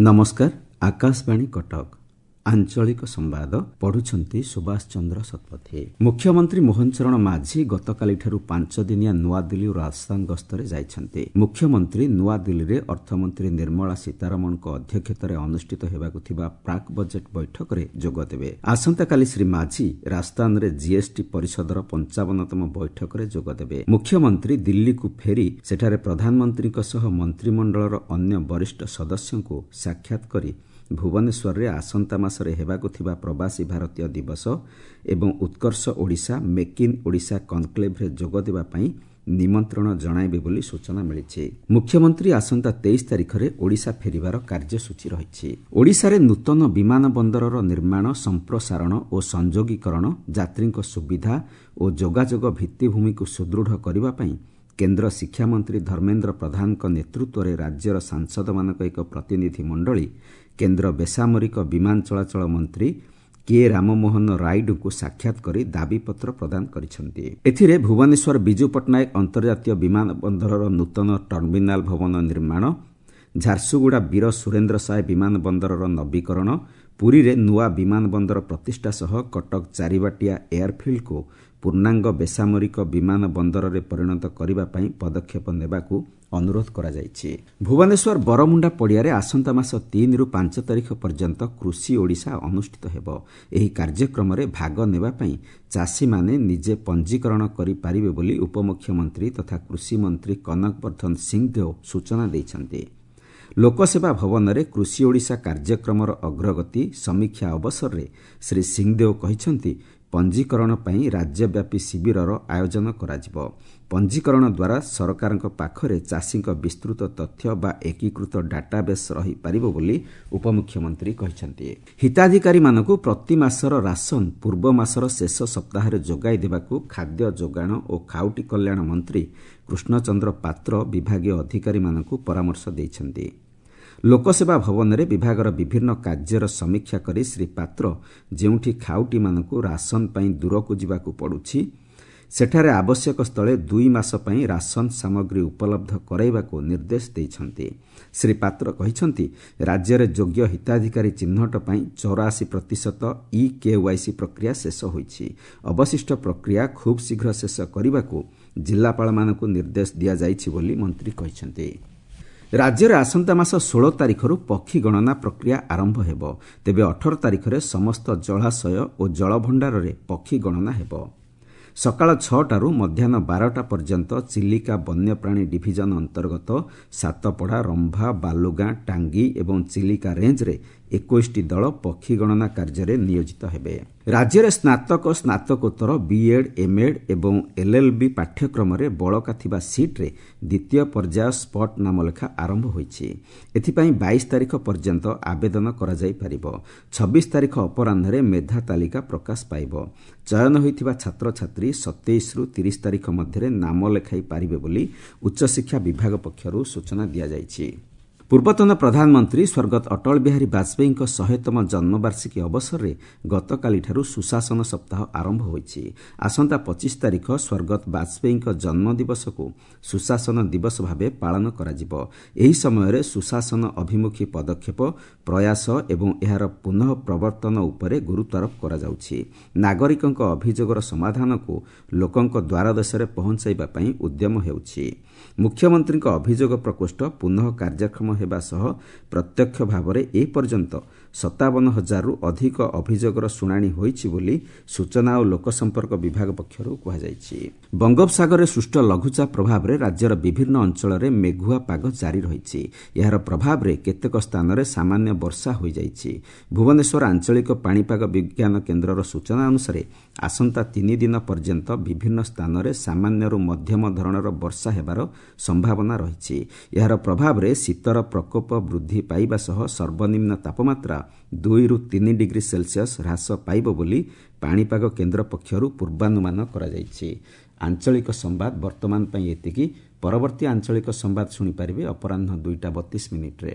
ନମସ୍କାର, ଆକାଶବାଣୀ କଟକ। ଆଞ୍ଚଳିକ ସମ୍ବାଦ ପଢୁଛନ୍ତି ସୁଭାଷ ଚନ୍ଦ୍ର ଶତପଥୀ। ମୁଖ୍ୟମନ୍ତ୍ରୀ ମୋହନ ଚରଣ ମାଝୀ ଗତକାଲିଠାରୁ 5 ଦିନିଆ ନୂଆଦିଲ୍ଲୀ ଓ ରାଜସ୍ଥାନ ଗସ୍ତରେ ଯାଇଛନ୍ତି। ମୁଖ୍ୟମନ୍ତ୍ରୀ ନୂଆଦିଲ୍ଲୀରେ ଅର୍ଥମନ୍ତ୍ରୀ ନିର୍ମଳା ସୀତାରମଣଙ୍କ ଅଧ୍ୟକ୍ଷତାରେ ଅନୁଷ୍ଠିତ ହେବାକୁ ଥିବା ପ୍ରାକ୍ ବଜେଟ୍ ବୈଠକରେ ଯୋଗଦେବେ। ଆସନ୍ତାକାଲି ଶ୍ରୀ ମାଝୀ ରାଜସ୍ଥାନରେ ଜିଏସ୍ଟି ପରିଷଦର 55ତମ ବୈଠକରେ ଯୋଗଦେବେ। ମୁଖ୍ୟମନ୍ତ୍ରୀ ଦିଲ୍ଲୀକୁ ଫେରି ସେଠାରେ ପ୍ରଧାନମନ୍ତ୍ରୀଙ୍କ ସହ ମନ୍ତ୍ରିମଣ୍ଡଳର ଅନ୍ୟ ବରିଷ୍ଠ ସଦସ୍ୟଙ୍କୁ ସାକ୍ଷାତ କରି ଭୁବନେଶ୍ୱରରେ ଆସନ୍ତା ମାସରେ ହେବାକୁ ଥିବା ପ୍ରବାସୀ ଭାରତୀୟ ଦିବସ ଏବଂ ଉତ୍କର୍ଷ ଓଡ଼ିଶା ମେକ୍ ଇନ୍ ଓଡ଼ିଶା କନ୍କ୍ଲେଭ୍ରେ ଯୋଗଦେବା ପାଇଁ ନିମନ୍ତ୍ରଣ ଜଣାଇବେ ବୋଲି ସୂଚନା ମିଳିଛି। ମୁଖ୍ୟମନ୍ତ୍ରୀ ଆସନ୍ତା 23 ତାରିଖରେ ଓଡ଼ିଶା ଫେରିବାର କାର୍ଯ୍ୟସୂଚୀ ରହିଛି। ଓଡ଼ିଶାରେ ନୂତନ ବିମାନ ବନ୍ଦରର ନିର୍ମାଣ, ସମ୍ପ୍ରସାରଣ ଓ ସଂଯୋଗୀକରଣ, ଯାତ୍ରୀଙ୍କ ସୁବିଧା ଓ ଯୋଗାଯୋଗ ଭିତ୍ତିଭୂମିକୁ ସୁଦୃଢ଼ କରିବା ପାଇଁ କେନ୍ଦ୍ର ଶିକ୍ଷାମନ୍ତ୍ରୀ ଧର୍ମେନ୍ଦ୍ର ପ୍ରଧାନଙ୍କ ନେତୃତ୍ୱରେ ରାଜ୍ୟର ସାଂସଦମାନଙ୍କ ଏକ ପ୍ରତିନିଧି ମଣ୍ଡଳୀ କେନ୍ଦ୍ର ବେସାମରିକ ବିମାନ ଚଳାଚଳ ମନ୍ତ୍ରୀ କେ ରାମମୋହନ ରାଇଡୁଙ୍କୁ ସାକ୍ଷାତ କରି ଦାବିପତ୍ର ପ୍ରଦାନ କରିଛନ୍ତି। ଏଥିରେ ଭୁବନେଶ୍ୱର ବିଜୁ ପଟ୍ଟନାୟକ ଅନ୍ତର୍ଜାତୀୟ ବିମାନ ବନ୍ଦରର ନୂତନ ଟର୍ମିନାଲ ଭବନ ନିର୍ମାଣ, ଝାରସୁଗୁଡ଼ା ବୀର ସୁରେନ୍ଦ୍ର ସାଏ ବିମାନ ବନ୍ଦରର ନବୀକରଣ, ପୁରୀରେ ନୂଆ ବିମାନ ବନ୍ଦର ପ୍ରତିଷ୍ଠା ସହ କଟକ ଚାରିବାଟିଆ ଏୟାରଫିଲ୍ଡକୁ ପୂର୍ଣ୍ଣାଙ୍ଗ ବେସାମରିକ ବିମାନ ବନ୍ଦରରେ ପରିଣତ କରିବା ପାଇଁ ପଦକ୍ଷେପ ନେବାକୁ ଅନୁରୋଧ କରାଯାଇଛି। ଭୁବନେଶ୍ୱର ବରମୁଣ୍ଡା ପଡ଼ିଆରେ ଆସନ୍ତା ମାସ 3ରୁ 5 ତାରିଖ ପର୍ଯ୍ୟନ୍ତ କୃଷି ଓଡ଼ିଶା ଅନୁଷ୍ଠିତ ହେବ। ଏହି କାର୍ଯ୍ୟକ୍ରମରେ ଭାଗ ନେବା ପାଇଁ ଚାଷୀମାନେ ନିଜେ ପଞ୍ଜୀକରଣ କରିପାରିବେ ବୋଲି ଉପମୁଖ୍ୟମନ୍ତ୍ରୀ ତଥା କୃଷିମନ୍ତ୍ରୀ କନକ ବର୍ଦ୍ଧନ ସିଂହଦେଓ ସୂଚନା ଦେଇଛନ୍ତି। ଲୋକସେବା ଭବନରେ କୃଷି ଓଡ଼ିଶା କାର୍ଯ୍ୟକ୍ରମର ଅଗ୍ରଗତି ସମୀକ୍ଷା ଅବସରରେ ଶ୍ରୀ ସିଂହଦେଓ କହିଛନ୍ତି, ପଞ୍ଜୀକରଣ ପାଇଁ ରାଜ୍ୟବ୍ୟାପୀ ଶିବିରର ଆୟୋଜନ କରାଯିବ। ପଞ୍ଜୀକରଣ ଦ୍ୱାରା ସରକାରଙ୍କ ପାଖରେ ଚାଷୀଙ୍କ ବିସ୍ତୃତ ତଥ୍ୟ ବା ଏକୀକୃତ ଡାଟାବେସ୍ ରହିପାରିବ ବୋଲି ଉପମୁଖ୍ୟମନ୍ତ୍ରୀ କହିଛନ୍ତି। ହିତାଧିକାରୀମାନଙ୍କୁ ପ୍ରତି ମାସର ରାସନ ପୂର୍ବ ମାସର ଶେଷ ସପ୍ତାହରେ ଯୋଗାଇ ଦେବାକୁ ଖାଦ୍ୟ ଯୋଗାଣ ଓ ଖାଉଟି କଲ୍ୟାଣ ମନ୍ତ୍ରୀ କୃଷ୍ଣଚନ୍ଦ୍ର ପାତ୍ର ବିଭାଗୀୟ ଅଧିକାରୀମାନଙ୍କୁ ପରାମର୍ଶ ଦେଇଛନ୍ତି। ଲୋକସେବା ଭବନରେ ବିଭାଗର ବିଭିନ୍ନ କାର୍ଯ୍ୟର ସମୀକ୍ଷା କରି ଶ୍ରୀ ପାତ୍ର ଯେଉଁଠି ଖାଉଟିମାନଙ୍କୁ ରାସନ ପାଇଁ ଦୂରକୁ ଯିବାକୁ ପଡୁଛି, ସେଠାରେ ଆବଶ୍ୟକ ସ୍ଥଳେ 2 ମାସ ପାଇଁ ରାସନ ସାମଗ୍ରୀ ଉପଲବ୍ଧ କରାଇବାକୁ ନିର୍ଦ୍ଦେଶ ଦେଇଛନ୍ତି। ଶ୍ରୀ ପାତ୍ର କହିଛନ୍ତି, ରାଜ୍ୟରେ ଯୋଗ୍ୟ ହିତାଧିକାରୀ ଚିହ୍ନଟ ପାଇଁ 84% ଇ କେୱାଇସି ପ୍ରକ୍ରିୟା ଶେଷ ହୋଇଛି। ଅବଶିଷ୍ଟ ପ୍ରକ୍ରିୟା ଖୁବ୍ ଶୀଘ୍ର ଶେଷ କରିବାକୁ ଜିଲ୍ଲାପାଳମାନଙ୍କୁ ନିର୍ଦ୍ଦେଶ ଦିଆଯାଇଛି ବୋଲି ମନ୍ତ୍ରୀ କହିଛନ୍ତି। ରାଜ୍ୟରେ ଆସନ୍ତା ମାସ 16 ତାରିଖରୁ ପକ୍ଷୀ ଗଣନା ପ୍ରକ୍ରିୟା ଆରମ୍ଭ ହେବ। ତେବେ 18 ତାରିଖରେ ସମସ୍ତ ଜଳାଶୟ ଓ ଜଳଭଣ୍ଡାରରେ ପକ୍ଷୀ ଗଣନା ହେବ। ସକାଳ 6ଟାରୁ ମଧ୍ୟାହ୍ନ 12ଟା ପର୍ଯ୍ୟନ୍ତ ଚିଲିକା ବନ୍ୟପ୍ରାଣୀ ଡିଭିଜନ ଅନ୍ତର୍ଗତ ସାତପଡ଼ା, ରମ୍ଭା, ବାଲୁଗାଁ, ଟାଙ୍ଗୀ ଏବଂ ଚିଲିକା ରେଞ୍ଜରେ 21ଟି ଦଳ ପକ୍ଷୀ ଗଣନା କାର୍ଯ୍ୟରେ ନିୟୋଜିତ ହେବେ। ରାଜ୍ୟରେ ସ୍ନାତକ, ସ୍ନାତକୋତ୍ତର, ବିଏଡ୍, ଏମ୍ଏଡ୍ ଏବଂ ଏଲ୍ଏଲ୍ବି ପାଠ୍ୟକ୍ରମରେ ବଳକା ଥିବା ସିଟ୍ରେ ଦ୍ୱିତୀୟ ପର୍ଯ୍ୟାୟ ସ୍ପଟ୍ ନାମଲେଖା ଆରମ୍ଭ ହୋଇଛି। ଏଥିପାଇଁ 22 ତାରିଖ ପର୍ଯ୍ୟନ୍ତ ଆବେଦନ କରାଯାଇପାରିବ। 26 ତାରିଖ ଅପରାହ୍ନରେ ମେଧା ତାଲିକା ପ୍ରକାଶ ପାଇବ। ଚୟନ ହୋଇଥିବା ଛାତ୍ରଛାତ୍ରୀ 27ରୁ 30 ତାରିଖ ମଧ୍ୟରେ ନାମ ଲେଖାଇ ପାରିବେ ବୋଲି ଉଚ୍ଚଶିକ୍ଷା ବିଭାଗ ପକ୍ଷରୁ ସୂଚନା ଦିଆଯାଇଛି। ପୂର୍ବତନ ପ୍ରଧାନମନ୍ତ୍ରୀ ସ୍ୱର୍ଗତ ଅଟଳ ବିହାରୀ ବାଜପେୟୀଙ୍କ 100ତମ ଜନ୍ମବାର୍ଷିକୀ ଅବସରରେ ଗତକାଲିଠାରୁ ସୁଶାସନ ସପ୍ତାହ ଆରମ୍ଭ ହୋଇଛି। ଆସନ୍ତା 25 ତାରିଖ ସ୍ୱର୍ଗତ ବାଜପେୟୀଙ୍କ ଜନ୍ମଦିବସକୁ ସୁଶାସନ ଦିବସ ଭାବେ ପାଳନ କରାଯିବ। ଏହି ସମୟରେ ସୁଶାସନ ଅଭିମୁଖୀ ପଦକ୍ଷେପ, ପ୍ରୟାସ ଏବଂ ଏହାର ପୁନଃ ପ୍ରବର୍ତ୍ତନ ଉପରେ ଗୁରୁତ୍ୱାରୋପ କରାଯାଉଛି। ନାଗରିକଙ୍କ ଅଭିଯୋଗର ସମାଧାନକୁ ଲୋକଙ୍କ ଦ୍ୱାରଦେଶରେ ପହଞ୍ଚାଇବା ପାଇଁ ଉଦ୍ୟମ ହେଉଛି। ମୁଖ୍ୟମନ୍ତ୍ରୀଙ୍କ ଅଭିଯୋଗ ପ୍ରକୋଷ୍ଠ ପୁନଃ କାର୍ଯ୍ୟକ୍ଷମ ହେବା ସହ ପ୍ରତ୍ୟକ୍ଷ ଭାବରେ ଏ ପର୍ଯ୍ୟନ୍ତ 57,000ରୁ ଅଧିକ ଅଭିଯୋଗର ଶୁଣାଣି ହୋଇଛି ବୋଲି ସୂଚନା ଓ ଲୋକସମ୍ପର୍କ ବିଭାଗ ପକ୍ଷରୁ କୁହାଯାଇଛି। ବଙ୍ଗୋପସାଗରରେ ସୃଷ୍ଟ ଲଘୁଚାପ ପ୍ରଭାବରେ ରାଜ୍ୟର ବିଭିନ୍ନ ଅଞ୍ଚଳରେ ମେଘୁଆ ପାଗ ଜାରି ରହିଛି। ଏହାର ପ୍ରଭାବରେ କେତେକ ସ୍ଥାନରେ ସାମାନ୍ୟ ବର୍ଷା ହୋଇଯାଇଛି। ଭୁବନେଶ୍ୱର ଆଞ୍ଚଳିକ ପାଣିପାଗ ବିଜ୍ଞାନ କେନ୍ଦ୍ରର ସୂଚନା ଅନୁସାରେ ଆସନ୍ତା 3 ଦିନ ପର୍ଯ୍ୟନ୍ତ ବିଭିନ୍ନ ସ୍ଥାନରେ ସାମାନ୍ୟରୁ ମଧ୍ୟମ ଧରଣର ବର୍ଷା ହେବାର ସମ୍ଭାବନା ରହିଛି। ଏହାର ପ୍ରଭାବରେ ଶୀତର ପ୍ରକୋପ ବୃଦ୍ଧି ପାଇବା ସହ ସର୍ବନିମ୍ନ ତାପମାତ୍ରା 2ରୁ 3 ଡିଗ୍ରୀ ସେଲସିୟସ୍ ହ୍ରାସ ପାଇବ ବୋଲି ପାଣିପାଗ କେନ୍ଦ୍ର ପକ୍ଷରୁ ପୂର୍ବାନୁମାନ କରାଯାଇଛି। ଆଞ୍ଚଳିକ ସମ୍ବାଦ ବର୍ତ୍ତମାନ ପାଇଁ ଏତିକି। ପରବର୍ତ୍ତୀ ଆଞ୍ଚଳିକ ସମ୍ବାଦ ଶୁଣିପାରିବେ ଅପରାହ୍ନ 2ଟା 32 ମିନିଟ୍ରେ।